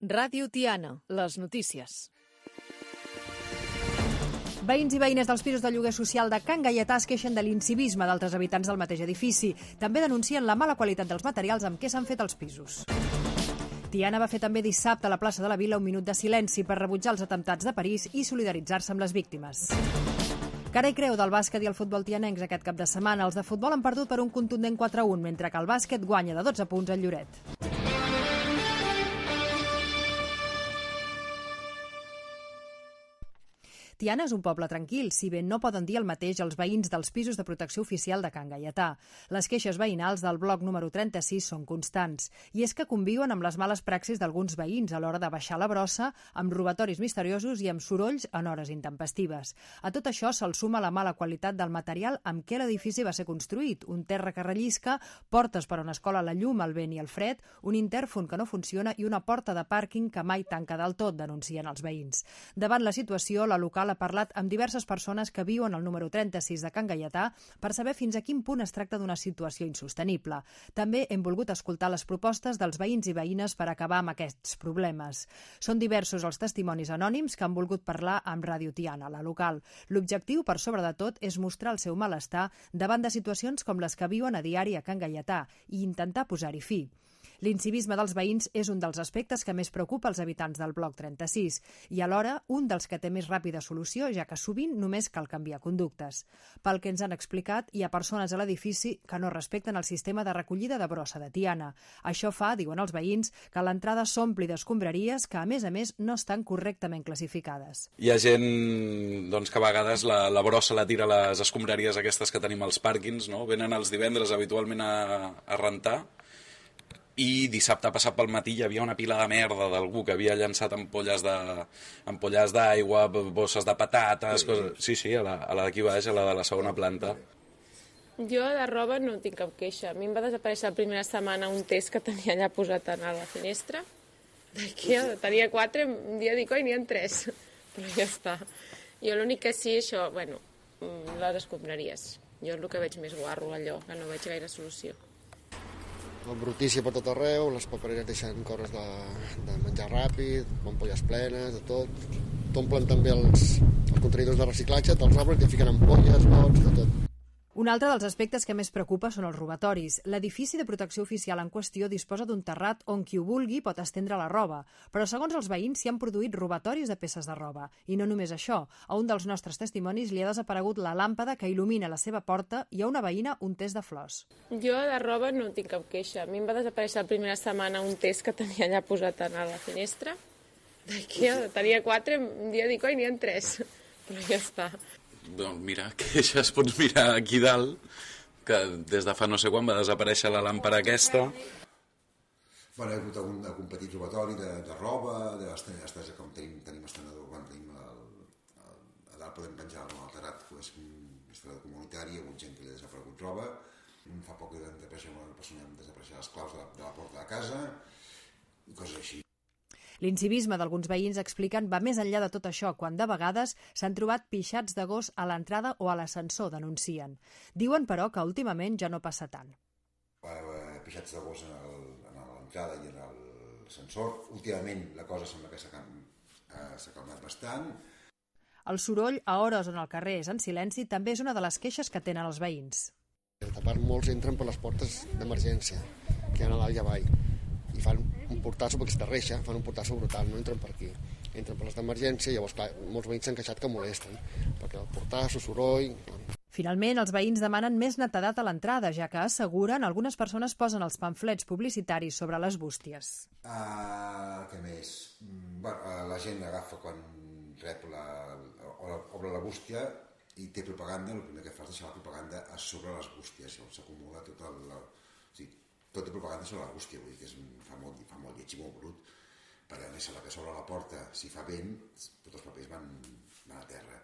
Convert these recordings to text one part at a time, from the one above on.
Ràdio Tiana, les notícies. Veïns i veïnes dels pisos de lloguer social de Can Gaietà es queixen de l'incivisme d'altres habitants del mateix edifici. També denuncien la mala qualitat dels materials amb què s'han fet els pisos. Tiana va fer també dissabte a la plaça de la Vila un minut de silenci per rebutjar els atemptats de París i solidaritzar-se amb les víctimes. Cara i creu del bàsquet i el futbol tianencs aquest cap de setmana. Els de futbol han perdut per un contundent 4-1, mentre que el bàsquet guanya de 12 punts al Lloret. Tiana és un poble tranquil, si bé no poden dir el mateix els veïns dels pisos de protecció oficial de Can Gaietà. Les queixes veïnals del bloc número 36 són constants, i és que conviuen amb les males praxis d'alguns veïns a l'hora de baixar la brossa, amb robatoris misteriosos i amb sorolls en hores intempestives. A tot això se'l suma la mala qualitat del material amb què l'edifici va ser construït, un terra que rellisca, portes per on es cola la llum, el vent i el fred, un intèrfon que no funciona i una porta de pàrquing que mai tanca del tot, denuncien els veïns. Davant la situació, la local ha parlat amb diverses persones que viuen al número 36 de Can Gaietà per saber fins a quin punt es tracta d'una situació insostenible. També hem volgut escoltar les propostes dels veïns i veïnes per acabar amb aquests problemes. Són diversos els testimonis anònims que han volgut parlar amb Ràdio Tiana, la local. L'objectiu, per sobre de tot, és mostrar el seu malestar davant de situacions com les que viuen a diari a Can Gaietà i intentar posar-hi fi. L'incivisme dels veïns és un dels aspectes que més preocupa els habitants del bloc 36 i alhora un dels que té més ràpida solució, ja que sovint només cal canviar conductes. Pel que ens han explicat, hi ha persones a l'edifici que no respecten el sistema de recollida de brossa de Tiana. Això fa, diuen els veïns, que l'entrada s'ompli d'escombraries que, a més, no estan correctament classificades. Hi ha gent que a vegades la brossa la tira a les escombraries aquestes que tenim als pàrquings, no? Venen els divendres habitualment a rentar, i dissabte passat pel matí hi havia una pila de merda d'algú que havia llançat ampolles d'aigua, bosses de patates, coses... Sí, a la d'aquí baix, a la de la segona planta. Jo de roba no tinc cap queixa. A mi em va desaparèixer la primera setmana un test que tenia allà posat a la finestra. D'aquí tenia 4, un dia dic, oi, n'hi ha 3. Però ja està. Jo l'únic que sí, això, les escombraries. Jo és el que veig més guarro, allò, que no veig gaire solució. La brutícia per tot arreu, les papereres deixen cores de menjar ràpid, ampolles plenes, de tot. T'omplen també els contenidors de reciclatge, te'ls obren i et fiquen ampolles, gots, de tot. Un altre dels aspectes que més preocupa són els robatoris. L'edifici de protecció oficial en qüestió disposa d'un terrat on qui ho vulgui pot estendre la roba, però segons els veïns s'hi han produït robatoris de peces de roba. I no només això, a un dels nostres testimonis li ha desaparegut la làmpada que il·lumina la seva porta i a una veïna un test de flors. Jo de roba no tinc cap queixa. A mi em va desaparèixer la primera setmana un test que tenia allà posat a la finestra. D'aquí tenia 4, un dia dic, oi, n'hi ha 3. Però ja està. Doncs mira, queixes pots mirar aquí dalt, que des de fa no sé quan va desaparèixer la làmpara aquesta. Hi ha hagut algun petit robatori de roba, com tenim estenedor, quan tenim a dalt podem penjar el terrat, és estenedor comunitari, hi ha hagut gent que li ha desaparegut roba. Fa poc que una persona hem desapareixer les claus de la porta de casa i coses així. L'incivisme d'alguns veïns, expliquen, va més enllà de tot això, quan de vegades s'han trobat pixats de gos a l'entrada o a l'ascensor, denuncien. Diuen, però, que últimament ja no passa tant. Pixats de gos a l'entrada i a l'ascensor. Últimament la cosa sembla que s'ha calmat bastant. El soroll a hores on el carrer és en silenci també és una de les queixes que tenen els veïns. A part, molts entren per les portes d'emergència, que hi ha a dalt i avall. I fan un portasso, perquè està reixa, fan un portasso brutal, no entren per aquí. Entren per les d'emergència i llavors, clar, molts veïns s'han queixat que molesten, perquè el portasso, soroll... Finalment, els veïns demanen més netedat a l'entrada, ja que asseguren algunes persones posen els pamflets publicitaris sobre les bústies. Què més? La gent agafa quan rep obre la bústia i té propaganda, el primer que fa és deixar la propaganda a sobre les bústies, s'acumula tot tot de propaganda sobre la bústia, vull dir que fa molt lleig i molt brut, perquè a més a la que s'obre la porta, si fa vent, tots els papers van a terra.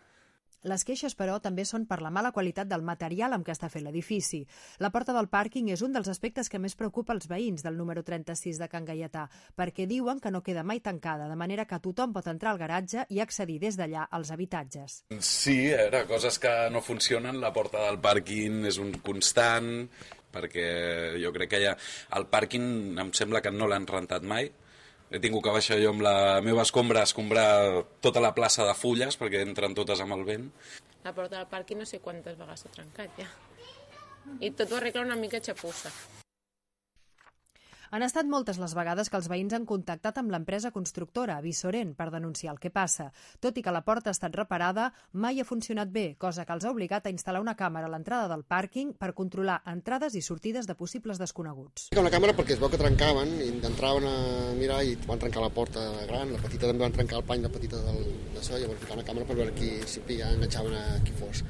Les queixes, però, també són per la mala qualitat del material amb què està fet l'edifici. La porta del pàrquing és un dels aspectes que més preocupa els veïns del número 36 de Can Gaietà, perquè diuen que no queda mai tancada, de manera que tothom pot entrar al garatge i accedir des d'allà als habitatges. Sí, coses que no funcionen, la porta del pàrquing és un constant, perquè jo crec que el pàrquing em sembla que no l'han rentat mai, He tingut que baixar jo amb la meva escombra a escombrar tota la plaça de fulles perquè entren totes amb el vent. La porta del pàrquing no sé quantes vegades s'ha trencat ja. I tot ho arregla una mica xapussa. Han estat moltes les vegades que els veïns han contactat amb l'empresa constructora, Visorent, per denunciar el que passa. Tot i que la porta ha estat reparada, mai ha funcionat bé, cosa que els ha obligat a instal·lar una càmera a l'entrada del pàrquing per controlar entrades i sortides de possibles desconeguts. Una càmera perquè es veu que trencaven i entraven a mirar i van trencar la porta gran, la petita també van trencar el pany, la petita d'això, i van ficar una càmera per veure si enganxaven a qui fos.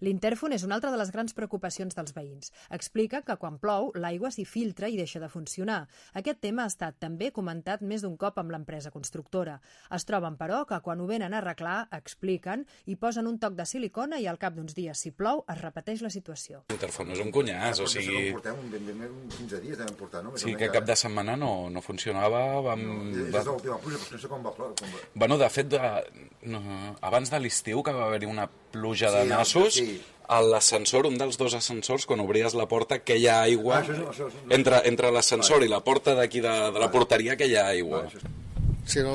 L'intèrfon és una altra de les grans preocupacions dels veïns. Explica que quan plou, l'aigua s'hi filtra i deixa de funcionar. Aquest tema ha estat també comentat més d'un cop amb l'empresa constructora. Es troben, però, que quan ho venen a arreglar, expliquen i posen un toc de silicona i al cap d'uns dies, si plou, es repeteix la situació. L'intèrfon és un cunyàs, o sigui... Portem ben 15 dies, devem portar, no? Sí, que cap de setmana no funcionava. És l'última pluja, però no sé com va ploure. Bueno, de fet, abans de l'estiu, que va haver-hi una pluja de nassos, a l'ascensor, un dels dos ascensors, quan obries la porta, queia aigua. Entre l'ascensor i la porta d'aquí de la porteria, queia aigua. Sí, no,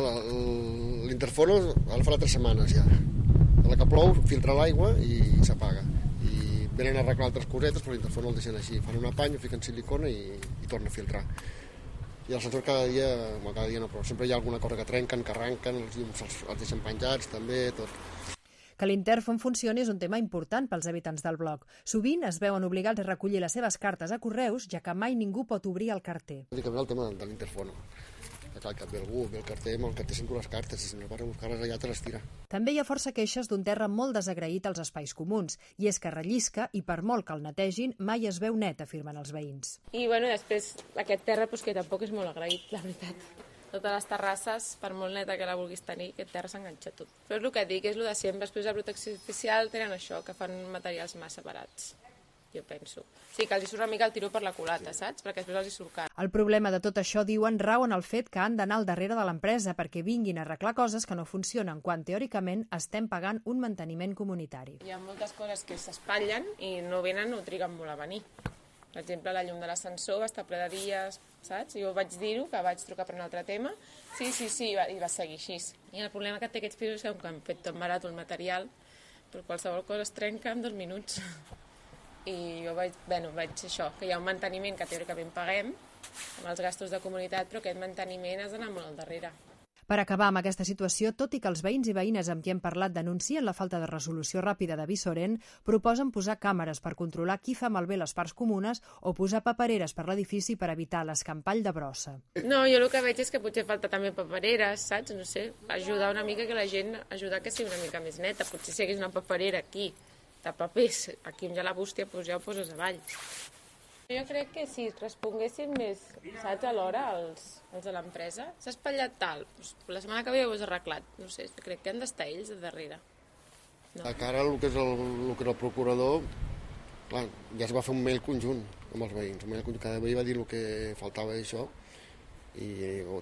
l'interfono ara farà 3 setmanes ja. A la que plou, filtra l'aigua i s'apaga. I venen a arreglar altres cosetes, però l'interfono el deixen així. Fan un apany, fiquen silicona i torna a filtrar. I l'ascensor cada dia no, però sempre hi ha alguna cosa que trenquen, que arranquen, els llums els deixen penjats, també, tot. Que l'intèrfon funcioni és un tema important pels habitants del bloc. Sovint es veuen obligats a recollir les seves cartes a correus, ja que mai ningú pot obrir el carter. Bàsicament el tema de l'interfono. Clar, que ve algú, ve el carter, amb el carter sento les cartes, i si no vas a buscar-les allà te les tira. També hi ha força queixes d'un terra molt desagraït als espais comuns, i és que rellisca i per molt que el netegin mai es veu net, afirmen els veïns. I bueno, després aquest terra que tampoc és molt agraït, la veritat. Totes les terrasses, per molt neta que la vulguis tenir, aquest terra s'enganxa tot. Però és el que dic, és el de sempre. Després de protecció oficial tenen això, que fan materials massa barats, jo penso. Sí, que els hi surt una mica el tiro per la culata, saps? Perquè després els hi surt car. El problema de tot això, diuen, rau en el fet que han d'anar al darrere de l'empresa perquè vinguin a arreglar coses que no funcionen, quan teòricament estem pagant un manteniment comunitari. Hi ha moltes coses que s'espatllen i no venen o triguen molt a venir. Per exemple, la llum de l'ascensor va estar ple de dies, saps? Jo vaig dir-ho, que vaig trucar per un altre tema. Sí, i va seguir així. I el problema que té aquests pisos és que han fet tot barat el material, però qualsevol cosa es trenca en 2 minuts. I jo vaig això, que hi ha un manteniment que teòricament paguem, amb els gastos de comunitat, però aquest manteniment has d'anar molt al darrere. Per acabar amb aquesta situació, tot i que els veïns i veïnes amb qui hem parlat denuncien la falta de resolució ràpida de Visorent, proposen posar càmeres per controlar qui fa malbé les parts comunes o posar papereres per l'edifici per evitar l'escampall de brossa. No, jo el que veig és que potser falta també papereres, saps? No sé, ajudar una mica que la gent, ajudar que sigui una mica més neta. Potser si hi hagués una paperera aquí, de papers, aquí on hi ha la bústia, doncs ja ho poses avall. Jo crec que si responguessin més, saps, a l'hora els de l'empresa, s'ha espatllat tal, doncs la setmana que ve ho has arreglat. No sé, crec que han d'estar ells de darrere. No. A cara el que és el procurador, clar, ja es va fer un mail conjunt amb els veïns. Un mail conjunt, cada veí va dir el que faltava d'això i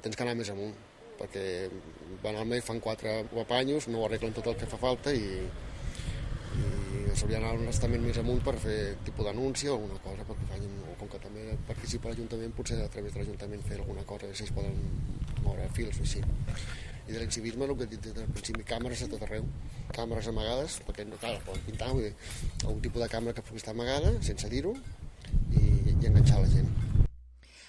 tens que anar més amunt, perquè van al mail, fan 4 apanyos, no arreglen tot el que fa falta i s'hauria d'anar un estament més amunt per fer tipus d'anúncia o alguna cosa, perquè facin, o com que també participa l'Ajuntament, potser a través de l'Ajuntament fer alguna cosa, si es poden moure fils o així. I de l'incivisme, el que he dit des del principi, càmeres a tot arreu, càmeres amagades, perquè clar, poden pintar un tipus de càmera que pugui estar amagada, sense dir-ho, i enganxar la gent.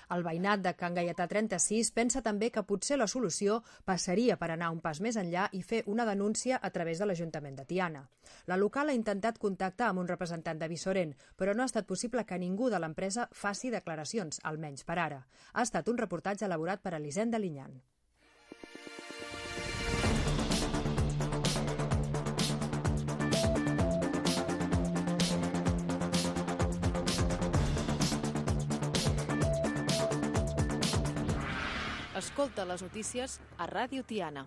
El veïnat de Can Gaietà 36 pensa també que potser la solució passaria per anar un pas més enllà i fer una denúncia a través de l'Ajuntament de Tiana. La local ha intentat contactar amb un representant de Visorent, però no ha estat possible que ningú de l'empresa faci declaracions, almenys per ara. Ha estat un reportatge elaborat per Elisenda Linyan. Escolta les notícies a Ràdio Tiana.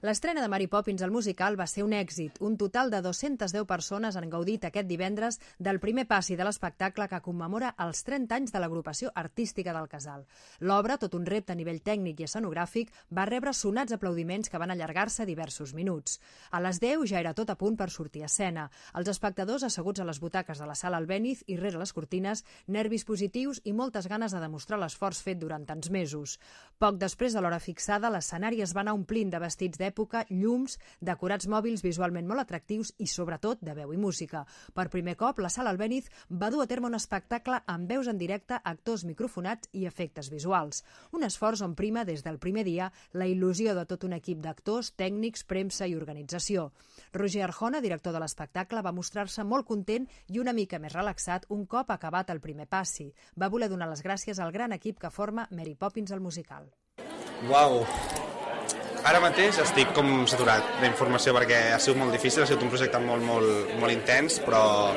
L'estrena de Mary Poppins al musical va ser un èxit. Un total de 210 persones han gaudit aquest divendres del primer passi de l'espectacle que commemora els 30 anys de l'agrupació artística del casal. L'obra, tot un repte a nivell tècnic i escenogràfic, va rebre sonats aplaudiments que van allargar-se diversos minuts. A les 10 ja era tot a punt per sortir a escena. Els espectadors asseguts a les butaques de la sala Albéniz i rere les cortines, nervis positius i moltes ganes de demostrar l'esforç fet durant tants mesos. Poc després de l'hora fixada, l'escenari es va anar omplint de vestits d'època, llums, decorats mòbils visualment molt atractius i, sobretot, de veu i música. Per primer cop, la sala Albéniz va dur a terme un espectacle amb veus en directe, actors microfonats i efectes visuals. Un esforç on prima, des del primer dia, la il·lusió de tot un equip d'actors, tècnics, premsa i organització. Roger Arjona, director de l'espectacle, va mostrar-se molt content i una mica més relaxat un cop acabat el primer passi. Va voler donar les gràcies al gran equip que forma Mary Poppins al musical. Uau! Ara mateix estic com saturat d'informació perquè ha sigut molt difícil, ha sigut un projecte molt intens, però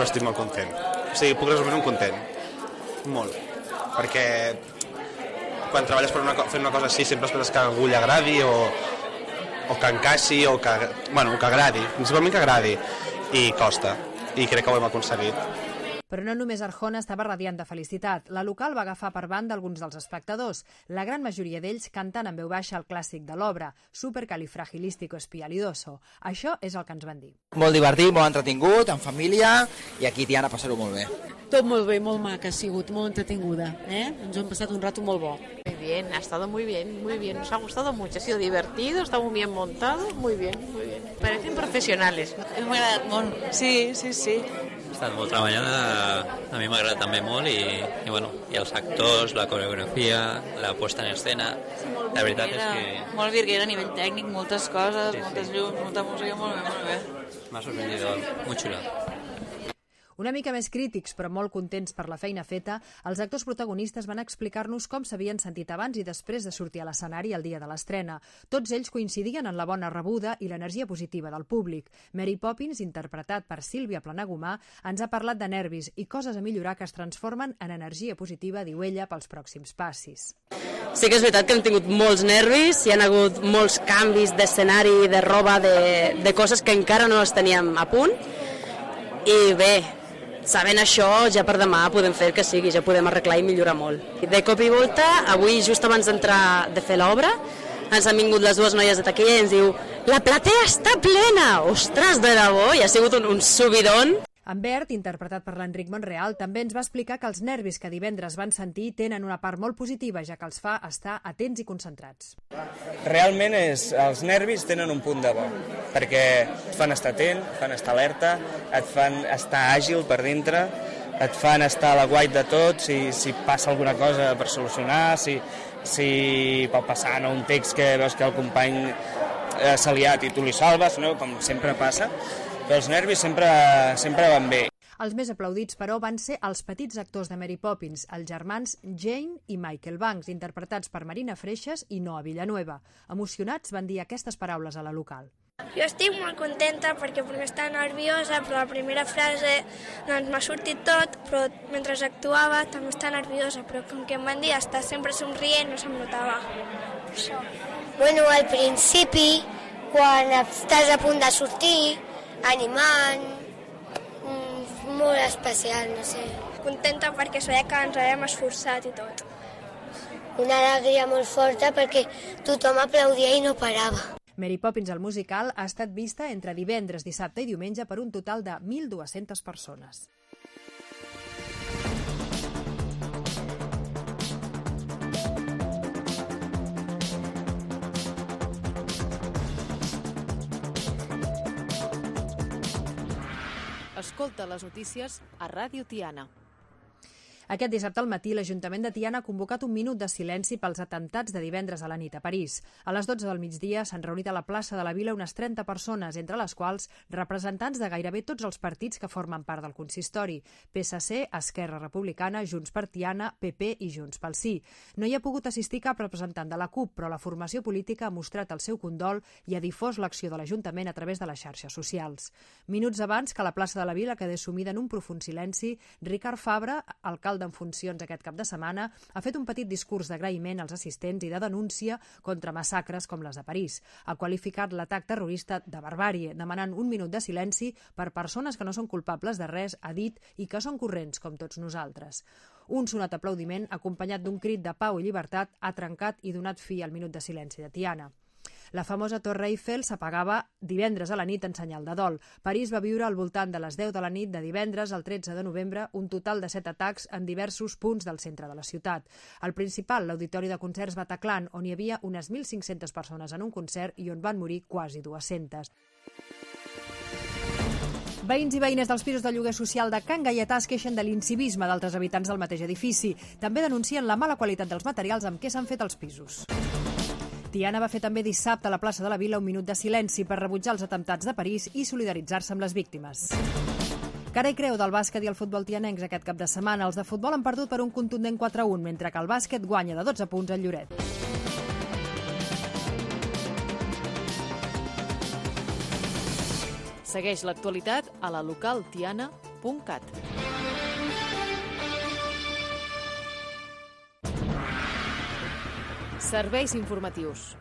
estic molt content. O sigui, puc resumir un content. Molt. Perquè quan treballes fent una cosa així sempre esperes que a algú li agradi o que encaixi o que agradi, principalment que agradi, i costa, i crec que ho hem aconseguit. Però no només Arjona estava radiant de felicitat. La local va agafar per banda alguns dels espectadors, la gran majoria d'ells cantant en veu baixa el clàssic de l'obra, Supercalifragilísticoespialidoso. Això és el que ens van dir. Molt divertit, molt entretingut, en família, i aquí Tiana passar-ho molt bé. Tot molt bé, molt maca ha sigut, molt entretinguda. Ens hem passat un rato molt bo. Muy bien, ha estado muy bien, nos ha gustado mucho, ha sido divertido, está muy bien montado, muy bien. Parecen profesionales. M'ha agradat molt, sí. Ha estat molt treballada, a mi m'ha agradat també molt i els actors, la coreografia, la puesta en escena, la veritat és que... Molt virguera a nivell tècnic, moltes coses, moltes llums, molta música, molt bé. M'ha sorprendido, muy xulo. Una mica més crítics, però molt contents per la feina feta, els actors protagonistes van explicar-nos com s'havien sentit abans i després de sortir a l'escenari el dia de l'estrena. Tots ells coincidien en la bona rebuda i l'energia positiva del públic. Mary Poppins, interpretat per Sílvia Planagumà, ens ha parlat de nervis i coses a millorar que es transformen en energia positiva, diu ella, pels pròxims passis. Sí que és veritat que hem tingut molts nervis, hi ha hagut molts canvis d'escenari, de roba, de coses que encara no les teníem a punt, i bé, sabent això, ja per demà podem fer que sigui, ja podem arreglar i millorar molt. De cop i volta, avui just abans de fer l'obra, ens han vingut les dues noies de taquilla i ens diu «La platea està plena!» Ostres, de debò, i ha sigut un subidon. En Bert, interpretat per l'Enric Monreal, també ens va explicar que els nervis que divendres van sentir tenen una part molt positiva, ja que els fa estar atents i concentrats. Realment els nervis tenen un punt de bo, perquè et fan estar atent, et fan estar alerta, et fan estar àgil per dintre, et fan estar a l'aguait de tot, si passa alguna cosa per solucionar, si pot passar un text que veus que el company s'ha liat i tu li salves, no? Com sempre passa. Però els nervis sempre van bé. Els més aplaudits, però, van ser els petits actors de Mary Poppins, els germans Jane i Michael Banks, interpretats per Marina Freixas i Noa Villanueva. Emocionats van dir aquestes paraules a la local. Jo estic molt contenta perquè estava nerviosa, però la primera frase m'ha sortit tot, però mentre actuava també estava nerviosa, però com que em van dir estar sempre somrient no se'm notava. Això. Bueno, al principi, quan estàs a punt de sortir, animant, molt especial, no sé. Contenta perquè sabia que ens havíem esforçat i tot. Una alegria molt forta perquè tothom aplaudia i no parava. Mary Poppins al musical ha estat vista entre divendres, dissabte i diumenge per un total de 1.200 persones. Escolta les notícies a Ràdio Tiana. Aquest dissabte al matí, l'Ajuntament de Tiana ha convocat un minut de silenci pels atemptats de divendres a la nit a París. A les 12 del migdia s'han reunit a la plaça de la Vila unes 30 persones, entre les quals representants de gairebé tots els partits que formen part del consistori: PSC, Esquerra Republicana, Junts per Tiana, PP i Junts pel Sí. No hi ha pogut assistir cap representant de la CUP, però la formació política ha mostrat el seu condol i ha difós l'acció de l'Ajuntament a través de les xarxes socials. Minuts abans que la plaça de la Vila quedés sumida en un profund silenci, Ricard Fabra, alcalde d'alcalde en funcions aquest cap de setmana, ha fet un petit discurs d'agraïment als assistents i de denúncia contra massacres com les de París. Ha qualificat l'atac terrorista de barbàrie, demanant un minut de silenci per persones que no són culpables de res, ha dit, i que són corrents com tots nosaltres. Un sonat aplaudiment, acompanyat d'un crit de pau i llibertat, ha trencat i donat fi al minut de silenci de Tiana. La famosa Torre Eiffel s'apagava divendres a la nit en senyal de dol. París va viure al voltant de les 10 de la nit de divendres al 13 de novembre un total de 7 atacs en diversos punts del centre de la ciutat. El principal, l'Auditori de Concerts Bataclan, on hi havia unes 1.500 persones en un concert i on van morir quasi 200. Veïns i veïnes dels pisos de lloguer social de Can Gaietà es queixen de l'incivisme d'altres habitants del mateix edifici. També denuncien la mala qualitat dels materials amb què s'han fet els pisos. Tiana va fer també dissabte a la plaça de la Vila un minut de silenci per rebutjar els atemptats de París i solidaritzar-se amb les víctimes. Cara i creu del bàsquet i el futbol tianencs aquest cap de setmana. Els de futbol han perdut per un contundent 4-1, mentre que el bàsquet guanya de 12 punts al Lloret. Segueix l'actualitat a la localtiana.cat. Serveis informatius.